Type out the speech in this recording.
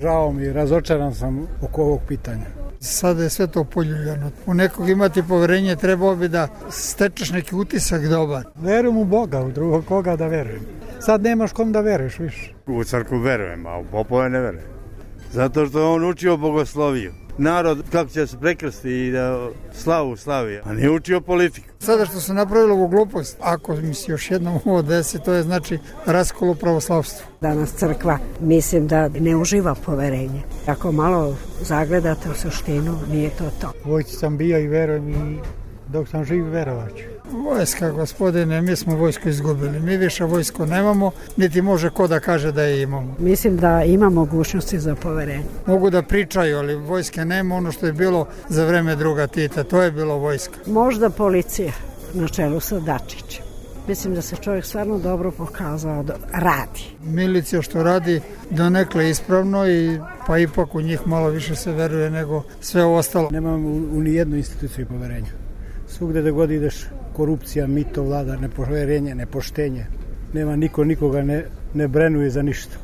Žao mi, razočaran sam oko ovog pitanja. Sada je sve to poljuljano. U nekog imati poverenje, trebao bi da stečeš neki utisak dobar. Verujem u Boga, u drugog koga da verujem. Sad nemaš kom da veruješ više. U crkvu verujem, a u popove ne verujem. Zato što je on učio bogosloviju. Narod kako će se prekrsti i da slavu slavi, a ne učio politiku. Sada što se napravilo ovu glupost, ako mi se još jednom ovo desi, to je znači raskol u pravoslavstvu. Danas crkva mislim da ne uživa poverenje. Ako malo zagledate u suštinu, nije to to. Vojci sam bio i verujem i dok sam živ verovaću. Vojska, gospodine, mi smo vojsku izgubili. Mi više vojsko nemamo, niti može ko da kaže da je imamo. Mislim da ima mogućnosti za poverenje. Mogu da pričaju, ali vojske nema, ono što je bilo za vreme druga Tita, to je bilo vojska. Možda policija na čelu sa Dačićem. Mislim da se čovjek stvarno dobro pokazao da radi. Milicija što radi donekle ispravno i pa ipak u njih malo više se veruje nego sve ostalo. Nemam u nijednu instituciju poverenja. Svugde da god ideš, korupcija, mito vlada, nepoverenje, nepoštenje. Nema niko nikoga ne brenuje za ništa.